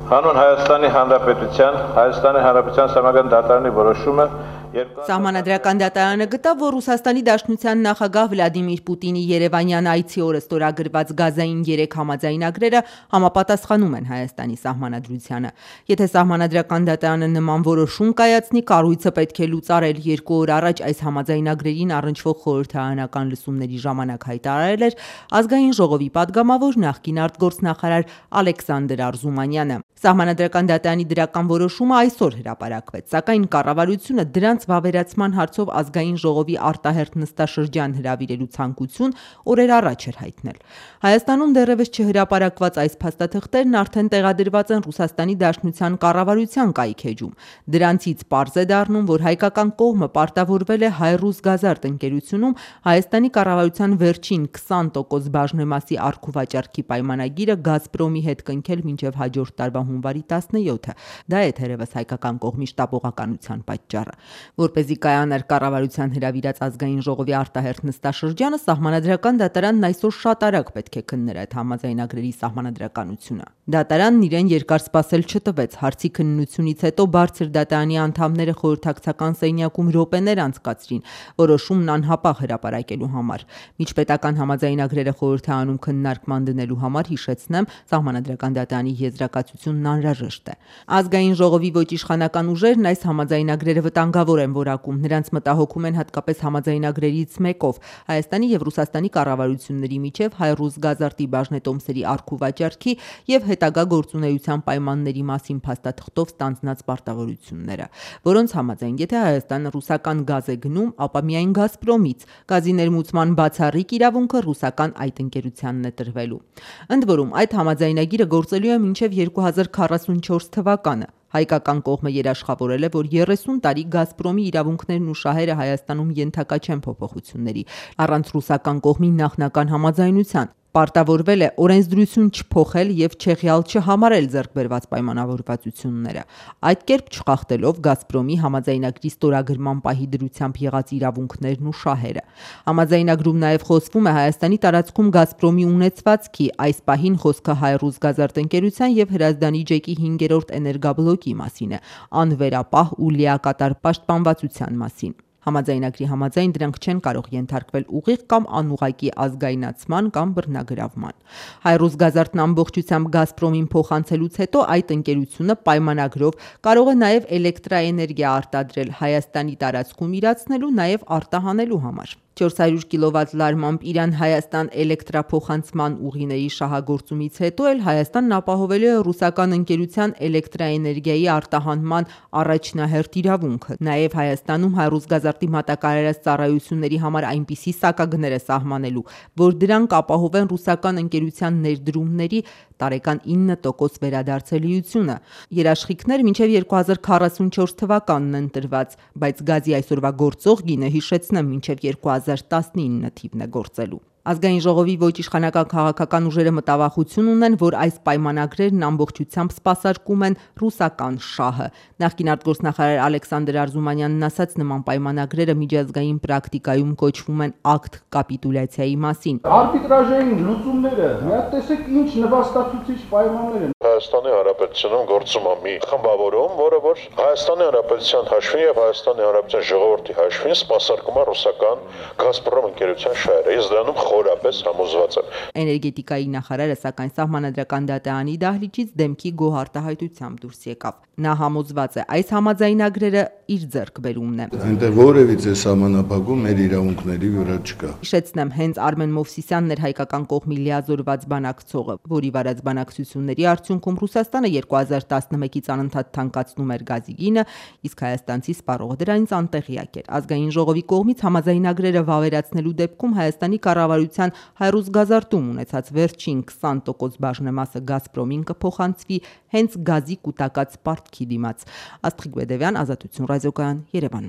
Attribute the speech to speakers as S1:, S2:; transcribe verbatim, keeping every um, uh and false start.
S1: Հանուն Հայաստանի Հանրապետության, Հայաստանի Հանրապետության Սահմանադրական դատարանի որոշումը
S2: Սահմանադրական դատարանը գտավ, որ Ռուսաստանի Դաշնության նախագահ Վլադիմիր Պուտինի երևանյան այցի օրը ստորագրված գազային երեք համաձայնագրերը համապատասխանում են Հայաստանի սահմանադրությանը։ Եթե Սահմանադրական դատարանը նման որոշում կայացնի, կառույցը պետք է լուծարել երկու օր առաջ այս համաձայնագրերին առնչվող խորհրդարանական լսումների ժամանակ հայտարարել էր Ազգային ժողովի падգամավոր նախկին արտգործնախարար Ալեքսանդր Արզումանյանը։ Սահմանադրական դատարանի դրական որոշումը այսօր հրապարակվեց, սակայն կառավարությունը դրանց վավերացման հարցով Ազգային ժողովի արտահերթ նստաշրջան հրավիրելու ցանկություն օրեր առաջ էր հայտնել։ Հայաստանում դեռևս չհրապարակված այս փաստաթղթերն արդեն տեղադրված են Ռուսաստանի Դաշնության կառավարության կայքէջում։ Դրանցից պարզ է դառնում, որ հայկական կողմը պարտավորվել է Հայ-Ռուսգազարդ ընկերությունում Հայաստանի կառավարության վերջին քսան տոկոս բաժնեմասի առքուվաճառքի պայմանագիրը Գազպրոմի հետ կնքել մինչև հաջորդ տարվա հունվարի տասնյոթը։ Դա է թերևս հայկական կողմի շտապողականության պատճառը։ Որպեսզի կայանար կառավարության հրավիրած Ազգային ժողովի արտահերթ նստաշրջանը, Սահմանադրական դատարանն այսօր շատ արագ պետք է քններ այդ համաձայնագրերի սահմանադրականությունը։ Դատարանն իրեն երկար սպասել չտվեց։ Հարցի քննությունից հետո բարձր դատարանի անդամները խորհրդակցական սենյակում րոպեներ անցկացրին որոշումն անհապաղ հրապարակելու համար։ Միջպետական համաձայնագրերը խորհրդարանում քննարկման դնելու համար, հիշեցնեմ, Սահմանադրական դատարանի եզրակացությունն անհրաժեշտ է։ Ազգային ժողովի ոչ իշխանական ուժերն այս համաձայնագրերը վտանգավոր են որակում։ Նրանց մտահոգում են հատկապես համաձայնագրերից մեկով Հայաստանի եւ Ռուսաստանի կառավարությունների միջև Հայ-Ռուսգազարտի բաժնետոմսերի առքուվաճառքի եւ հետագա գործունեության պայմանների մասին փաստաթղթով ստանձնած պարտավորությունները, որոնց համաձայն, եթե Հայաստանը ռուսական գազ է գնում, ապա միայն Գազպրոմից գազի ներմուծման բացառիկ իրավունքը ռուսական այդ ընկերությանն է տրվելու։ Ընդ որում, այդ համաձայնագիրը գործելու է մինչև երկու հազար քառասունչորս թվականը։ Հայկական կողմը երաշխավորել է, որ երեսուն տարի Գազպրոմի իրավունքներն ու շահերը Հայաստանում ենթակա չեն փոփոխությունների, առանց ռուսական կողմի նախնական համաձայնության։ Պարտավորվել է օրենսդրություն չփոխել եւ չեղյալ չհամարել ձեռքբերված պայմանավորվածությունները, այդ կերպ չխախտելով Գազպրոմի համաձայնագրի ստորագրման պահի դրությամբ եղած իրավունքներն ու շահերը։ Համաձայնագրում նաեւ խոսվում է Հայաստանի տարածքում Գազպրոմի ունեցվածքի, այս պահին խոսքը Հայ-Ռուսգազարդ ընկերության եւ Հրազդանի ջեկի հինգերորդ էներգաբլոկի մասին է, անվերապահ ու լիակատար պաշտպանվածության մասին։ Համաձայնագրի համաձայն դրանք չեն կարող ենթարկվել ուղիղ կամ անուղղակի ազգայնացման կամ բռնագրավման։ Հայ-Ռուսգազարտն ամբողջությամբ Գազպրոմին փոխանցելուց հետո այդ ընկերությունը պայմանագրով կարող է նաև էլեկտրաէներգիա արտադրել Հայաստանի տարածքում իրացնելու, նաև արտահանելու համար։ չորս հարյուր կիլովատ լարմամբ Իրան-Հայաստան էլեկտրափոխանցման ուղիների շահագործումից հետո էլ Հայաստանն ապահովելու է ռուսական ընկերության էլեկտրաէներգիայի արտահանման առաջնահերթ իրավունքը։ Նաև Հայաստանում Հայ-Ռուսգազարտի մատակարարած ծառայությունների համար այնպիսի սակագներ է սահմանելու, որ դրանք ապահովեն ռուսական ընկերության ներդրումների տարեկան ինը տոկոս վերադարձելիությունը։ Երաշխիքներ մինչև երկու հազար քառասունչորս թվականն են տրված, բայց գազի այսօրվա գործող գինը, հիշեցնեմ, մինչև երկու հազար տասնինը թիվն է գործելու։ Ազգային ժողովի ոչ իշխանական քաղաքական ուժերը մտավախություն ունեն, որ այս պայմանագրերն ամբողջությամբ սպասարկում են ռուսական շահը։ Նախկին արտգործնախարար Ալեքսանդր Արզումանյանն ասաց, նման պայմանագրերը միջազգային պրակտիկայում կոչվում են ակտ կապիտուլյացիայի մասին։
S3: Արբիտրաժային լուծումները, միա տեսեք ինչ նվաստացուցիչ պայմաններ են։
S1: Հայաստանի Հանրապետությունում գործում է մի խմբավորում, որը որ Հայաստանի Հանրապետության հաշվին եւ Հայաստանի Հանրապետության ժողովրդի հաշվին սպասարկում է ռուսական Գազպրոմ ընկերության շահերը։ Ես դրանում խորապես համոզված եմ։
S2: Էներգետիկայի նախարարը սակայն Սահմանադրական դատարանի դահլիճից դեմքի գոհ արտահայտությամբ դուրս եկավ։ Նա համոզված է, այս համաձայնագրերը իր ձեռքբերումն է։
S3: Այնտեղ որևիցե սահմանափակում մեր իրավունքների վրա չկա։
S2: Հիշեցնեմ, հենց Արմեն Մովսիսյանն էր հայկական կողմի լիազորված բանակցողը, որի վարած բանակցությունների արդյունքում Ռուսաստանը երկու հազար տասնմեկից անընդհատ թանկացնում էր գազի գինը, իսկ հայաստանցի սպառողը դրանից անտեղյակ էր։ Ազգային ժողովի կողմից համաձայնագրերը վավերացնելու դեպքում Հայաստանի կառավարության Հայ-Ռուսգազարտում ունեցած վերջին քսան տոկոս բաժնեմասը Գազպրոմին կփոխանցվի հենց գազի կուտակած պարտքի դիմաց։ Աստղիկ Բեդևյան, Ազատություն ռադիոկայան, Երևան։